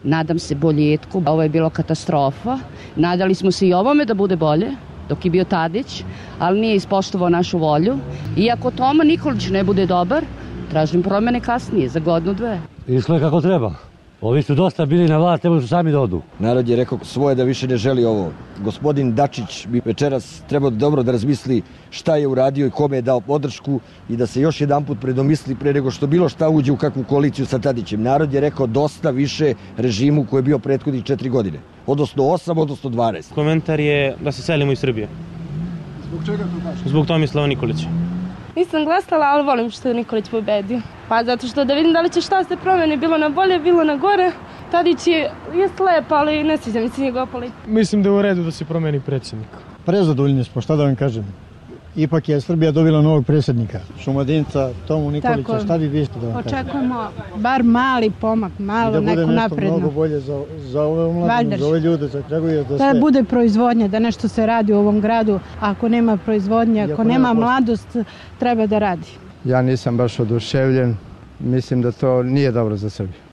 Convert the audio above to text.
Nadam se boljetku, ovo je bilo katastrofa. Nadali smo se i ovome da bude bolje, dok je bio Tadić, ali nije ispoštovao našu volju. Iako Toma Nikolić ne bude dobar, tražim promene kasnije, za godinu, dve. Išlo je kako treba. Ovi su dosta bili na vlast, trebali su sami da odu. Narod je rekao svoje da više ne želi ovo. Gospodin Dačić bi večeras trebao dobro da razmisli šta je uradio i kome je dao podršku i da se još jedanput predomisli pre nego što bilo šta uđe u kakvu koaliciju sa Tadićem. Narod je rekao dosta više režimu koji je bio prethodnih 4 godine. Odnosno 8, odnosno 12. Komentar je da se selimo iz Srbije. Zbog čega to kažeš? Zbog Tomislava Nikolića. Nisam glasala, ali volim što je Nikolić pobedio. Pa zato što da vidim da li će šta se promeni, bilo na bolje, bilo na gore. Tadić je slep, ali ne sviđa mi se njegova politika. Mislim da je u redu da se promeni predsjednik. Prezadovoljni smo, šta da vam kažem. Ipak je Srbija dobila novog predsjednika, Šumadinca, Tomu Nikolića, šta bi vi što da vam kažem? Očekujemo bar mali pomak, malo neko napredno. I da bude nešto mnogo bolje za ove omladine, za ove ljude, za Kragujevac, za sve. Da bude proizvodnja, da nešto se radi u ovom gradu. Ako nema proizvodnje, ako nema mladost, treba da radi. Ja nisam baš oduševljen, mislim da to nije dobro za Srbiju.